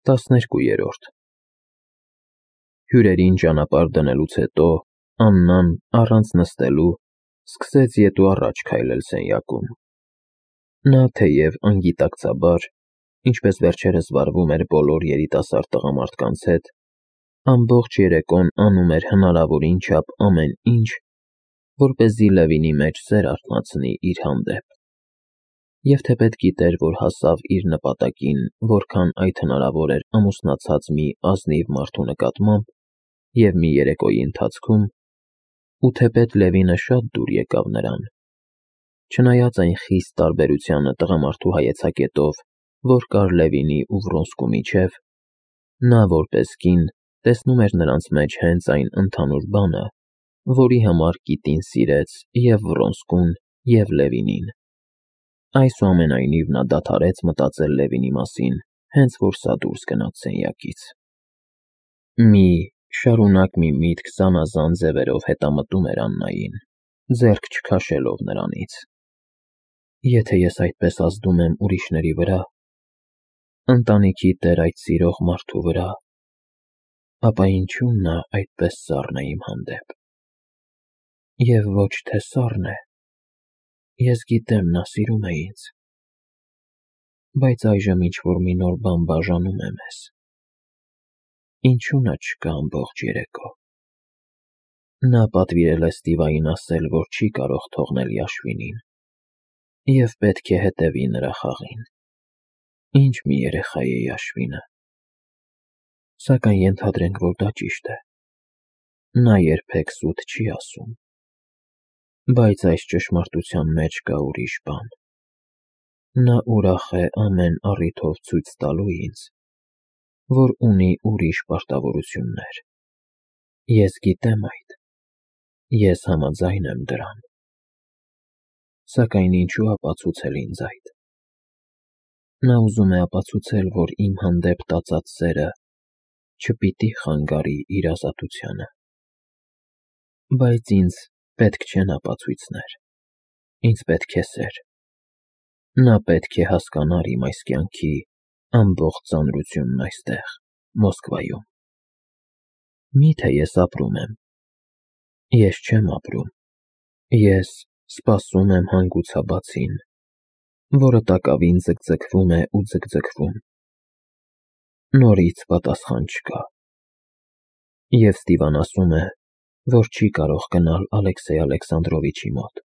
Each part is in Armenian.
12 Հյուրերին ճանապարհ դնելուց հետո Աննան առանց նստելու սկսեց ետ ու առաջ քայլել սենյակում։ Նա թեև անգիտակցաբար, ինչպես վերջերս վարվում էր բոլոր երիտասարդ տղամարդկանց հետ, ամբողջ երեկոն անում էր հնարավորին չափ ամեն ինչ, որպեսզի Լևինի մեջ սեր արթնացնի իր հանդեպ։ Եվ թեպետ գիտեր, որ հասավ իր նպատակին, որքան այդ հնարավոր էր ամուսնացած մի ազնիվ մարդու նկատմամբ և մի երեկոյի ընթացքում, ու թեպետ Լևինը շատ դուր եկավ նրան, չնայած այն խիստ տարբերությանը տղամարդու հայեցակետով, որ կար Լևինի ու Վրոնսկու միջև, նա որպես կին տեսնում էր նրանց մեջ հենց այն ընդհանուր բանը, որի համար կիտին սիրեց և Վրոնսկուն, և Լևինին։ Այսուամենայնիվ նա դադարեց մտածել Լևինի մասին, հենց որ սա դուրս գնաց սենյակից։ Շարունակ մի միտք զանազան ձևերով հետամտում էր Աննային, ձեռք չքաշելով նրանից։ Եթե ես այդպես ազդում եմ ուրիշների վրա, ընտանիքի տեր այդ սիրող մարդու վրա, ապա ինչու նա այդպես սառն է իմ հանդեպ։ Եվ ոչ թե սառն է, ես գիտեմ նա սիրում է ինձ, բայց այժմ ինչ-որ մի նոր բան բաժանում է մեզ։ Ինչու նա չկա ամբողջ երեկո։ Նա պատվիրել է Ստիվային ասել, որ չի կարող թողնել Յաշվինին, և պետք է հետևի նրա խաղին։ Ինչ մի երեխա է Յաշվինը։ Սակայն ենթադրենք, որ դա ճիշտ է։ Նա երբեք սուտ չի ասում։ Բայց այս ճշմարտության մեջ կա ուրիշ բան։ Նա ուրախ է ամեն առիթով ցույց տալու ինձ, որ ունի ուրիշ պարտավորություններ։ Ես գիտեմ այդ, ես համաձայն եմ դրան։ Սակայն ինչու ապացուցել ինձ այդ։ Նա ուզում է ապացուցել, որ իմ հանդեպ տածած սերը չպիտի խանգարի իր ազատությանը։ Բայց ինձ պետք չեն ապացույցներ, ինձ պետք է սեր։ Նա պետք է հասկանար իմ այս կյանքի ամբողջ ծանրությունն այստեղ, Մոսկվայում։ Մի՞թե ես ապրում եմ։ Ես չեմ ապրում։ Ես սպասում եմ հանգուցաբացին, որը տակավին ձգձգվում է ու ձգձգվում։ Նորից պատասխան չկա։ Եվ Ստիվան ասում է, որ չի կարող գնալ Ալեքսեյ Ալեքսանդրովիչի մոտ,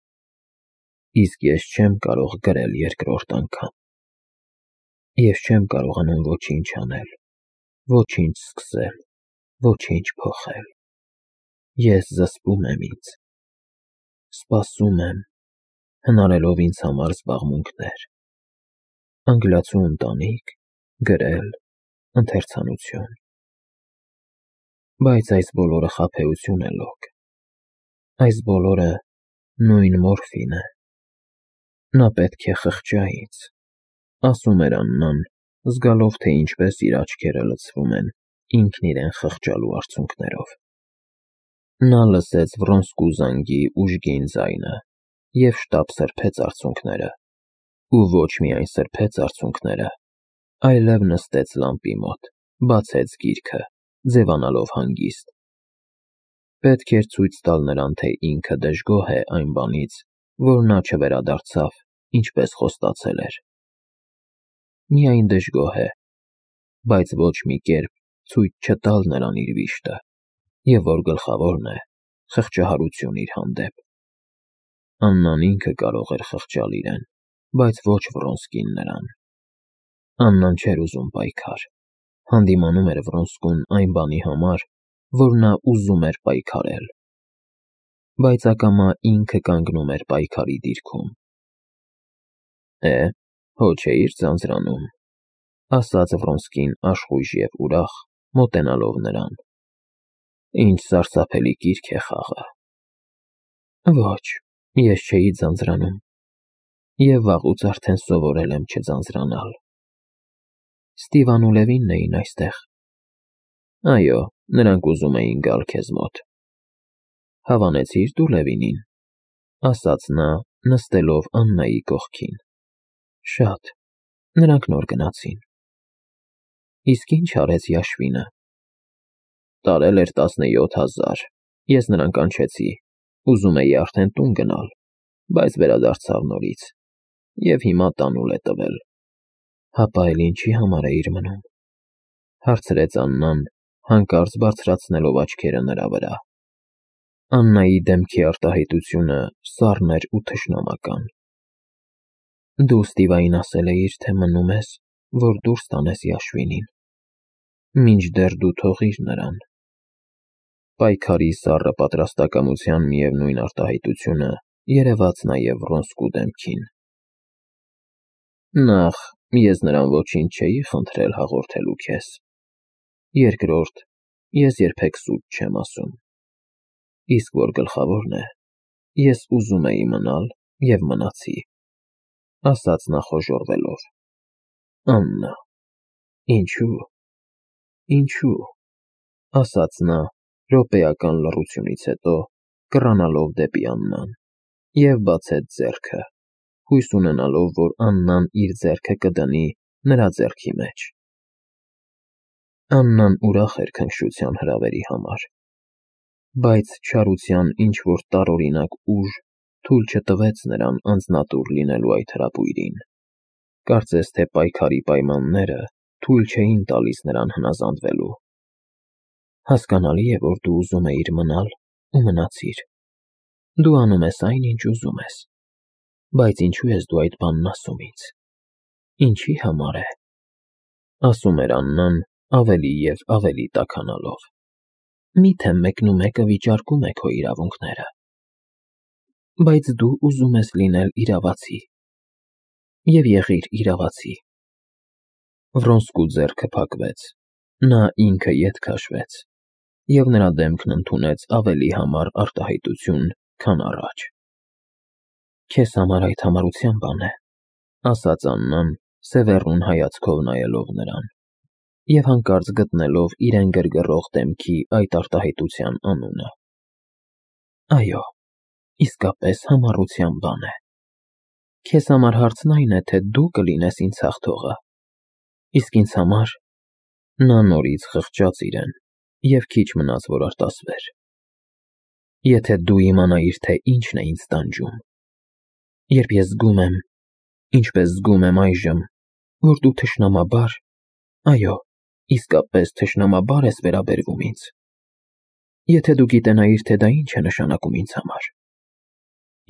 իսկ ես չեմ կարող գրել երկրորդ անգամ։ Ես չեմ կարողանում ոչինչ անել, ոչինչ սկսել, ոչինչ փոխել։ Ես զսպում եմ ինձ։ Սպասում եմ, հնարելով ինձ համար զբաղմունքներ, անգլիացու ընտանիք, գրել, ընթերցանություն։ Բայց այս բոլորը խաբեություն է, Լոկ։ Այս բոլորը նույն մորֆին է։ Նա պետք է խղճա ինձ, ասում էր Աննան, զգալով, թե ինչպես իր աչքերը լցվում են ինքն իրեն խղճալու արցունքներով։ Նա լսեց Վրոնսկու զանգի ուժգին ձայնը և շտապ սրբեց արցունքները, ու ոչ միայն սրբեց արցունքները, այլև նստեց լամպի մոտ, բացեց գիրքը, ձևանալով հանգիստ։ Պետք էր ցույց տալ նրան, թե ինքը դժգոհ է այն բանից, որ նա չվերադարձավ, ինչպես խոստացել էր։ Միայն դժգոհ է, բայց ոչ մի կերպ ցույց չտալ նրան իր վիշտը, և որ գլխավորն է, խղճահարություն իր հանդեպ։ Աննան ինքը կարող էր խղճալ իրեն, բայց ոչ Վրոնսկին նրան։ Աննան չէր ուզում պայքար, հանդիմանում էր Վրոնսկուն այն բանի համար, որ նա ուզում էր պայքարել։ Բայց ակամա ինքը կանգնում էր պայքարի դիրքում։ Հո չէիր ձանձրանում, ասաց Վրոնսկին աշխույժ և ուրախ, մոտենալով նրան։ Ինչ սարսափելի կիրք է խաղը։ Ոչ, ես չէի ձանձրանում, և վաղուց արդեն սովորել եմ չձանձրանալ։ Ստիվան ու Լևինն էին այստեղ։ Այո, նրանք ուզում էին գալ քեզ մոտ։ Հավանեցի՞ր դու Լևինին, ասաց նա, նստելով Աննայի կողքին։ Շատ, նրանք նոր գնացին։ Իսկ ինչ արեց Յաշվինը։ Տարել էր 17,000, ես նրան կանչեցի, ուզում էի արդեն տուն գնալ, բայց վերադարձավ նորից, և հիմա տանուլ է տվել։ Հապա էլ ինչի համար էիր մնում, հարցրեց Աննան, հանկարծ բարձրացնելով աչքերը նրա վրա։ Աննայի դեմքի արտահայտությունը սառն էր ու թշնամական։ Դու Ստիվային ասել էիր, թե մնում ես, որ դուրս տանես Յաշվինին, մինչդեռ դու թողիր նրան։ Պայքարի սառը պատրաստակամության միևնույն արտահայտությունը երևաց նաև Վրոնսկու դեմքին։ Նախ, ես նրան ոչինչ չէի խնդրել հաղորդելու քեզ։ Երկրորդ, ես երբեք սուտ չեմ ասում։ Իսկ որ գլխավորն է, ես ուզում էի մնալ և մնացի, ասաց նա խոժոռվելով։ Աննա, ինչու, ասաց նա րոպեական լռությունից հետո, կռանալով դեպի Աննան, և բացեց ձեռքը, հույս ունենալով, որ Աննան իր ձեռքը կդնի նրա ձեռքի մեջ։ Աննան ուրախ էր քնքշության հրավերի համար, բայց չարության ինչ-որ տարօրինակ ուժ թույլ չտվեց նրան անձնատուր լինելու այդ հրապույրին։ Կարծես թե պայքարի պայմանները թույլ չէին տալիս նրան հնազանդվելու։ Հասկանալի է, որ դու ուզում էիր մնալ ու մնացիր։ Դու անում ես այն, ինչ ուզում ես։ Բայց ինչու ես դու այդ բանն ասում ինձ։ Ինչի համար է, ասում էր Աննան ավելի և ավելի տաքանալով։ Միթե մեկնումեկը վիճարկում է քո իրավունքները։ Բայց դու ուզում ես լինել իրավացի։ Եվ եղիր իրավացի։ Վրոնսկու ձեռքը փակվեց, նա ինքը ետ քաշվեց, և նրա դեմքն ընդունեց ավելի համառ արտահայտություն, քան առաջ։ Քեզ համար այդ համարության բան է, ասաց Աննան, սևեռուն հայացքով նայելով նրան, և հանկարծ գտնելով իրեն գրգռող դեմքի այդ արտահայտության անունը։ Այո, իսկապես համառության բան է։ Քեզ համար հարցն այն է, թե դու կլինես ինձ հաղթողը, իսկ ինձ համար… Նա նորից խղճաց իրեն և քիչ մնաց, որ արտասվեր։ Եթե դու իմանայիր, թե ինչն է ինձ տանջում, երբ ես զգում եմ, ինչպես զգում եմ այժմ, որ դու թշնամաբար, այո, իսկապես թշնամաբար ես վերաբերվում ինձ, եթե դու գիտենայիր, թե դա ինչ է նշանակում ինձ համար,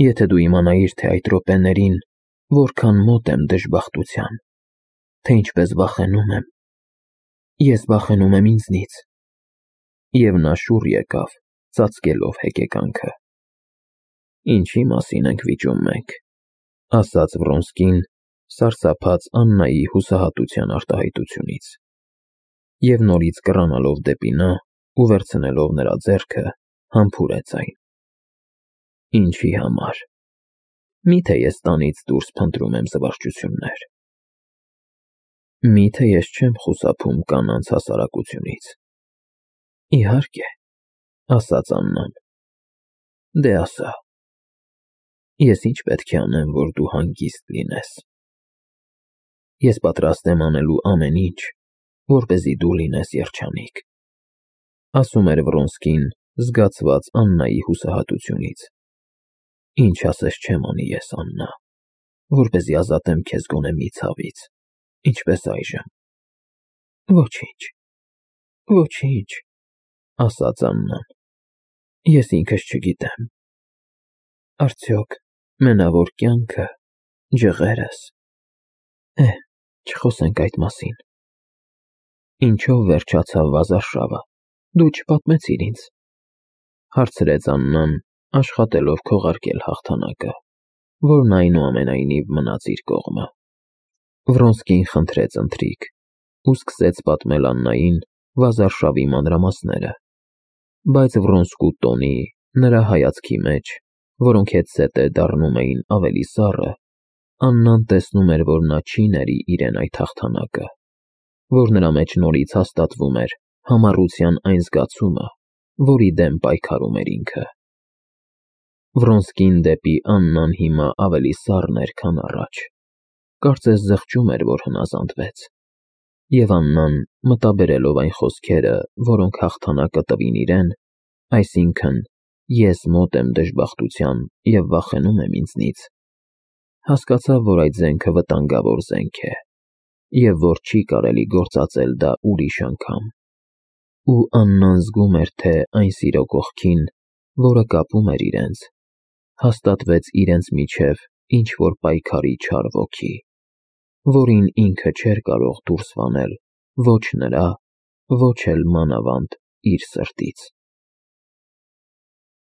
եթե դու իմանայիր, թե այդ րոպեներին որքան մոտ եմ դժբախտության, թե ինչպես վախենում եմ, ես վախենում եմ ինձնից։ Եվ նա շուռ եկավ, ծածկելով հեկեկանքը։ Ինչի մասին ենք վիճում մենք, ասաց Վրոնսկին, սարսափած Աննայի հուսահատության արտահայտությունից, և նորից կռանալով դեպի նա ու վերցնելով նրա ձեռքը, համբուրեց այն։ Ինչի համար։ Միթե ես տանից դուրս փնտրում եմ զվարճություններ։ Միթե ես չեմ խուսափում կանանց հասարակությունից։ Իհարկե, ասաց Աննան։ Դե ասա։ Ես ինչ պետք է անեմ, որ դու հանգիստ լինես։ Ես պատրաստ եմ անելու ամեն ինչ, որպեսզի դու լինես երջանիկ, ասում էր Վրոնսկին, զգացված Աննայի հուսահատությունից։ Ինչ ասես չեմ անի ես, Աննա, որպեսզի ազատեմ քեզ գոնե մի ցավից, ինչպես այժմ։ Ոչինչ, ասաց Աննան, ես ինքս չգիտեմ։ Արդյոք մենավոր կյանքը, ջղերս… չխոսենք այդ մասին։ Ինչով վերջացավ վազարշավը, դու չպատմեցիր ինձ, հարցրեց Աննան, աշխատելով քողարկել հաղթանակը, որն այնուամենայնիվ մնաց իր կողմը։ Վրոնսկին խնդրեց ընթրիք ու սկսեց պատմել Աննային վազարշավի մանրամասները, բայց Վրոնսկու տոնի, նրա հայացքի մեջ, որոնք հետզհետե դառնում էին ավելի սառը, Աննան տեսնում էր, որ նա չի ների իրեն այդ հաղթանակը, որ նրա մեջ նորից հաստատվում էր համառության այն զգացումը, որի դեմ պայքարում էր ինքը։ Վրոնսկին դեպի Աննան հիմա ավելի սառն էր, քան առաջ, կարծես զղջում էր, որ հնազանդվեց, Եվ Աննան, մտաբերելով այն խոսքերը, որոնք հաղթանակը տվին իրեն, այսինքն՝ ես մոտ եմ դժբախտության և վախենում եմ ինձնից, հասկացավ, որ այդ զենքը վտանգավոր զենք է, և որ չի կարելի գործածել դա ուրիշ անգամ։ Ու Աննան զգում էր, թե այն սիրո կողքին, որը կապում էր իրենց, հաստատվեց իրենց միջև ինչ-որ պայքարի չար ոգի, որին ինքը չէր կարող դուրս վանել ոչ նրա, ոչ էլ մանավանդ իր սրտից։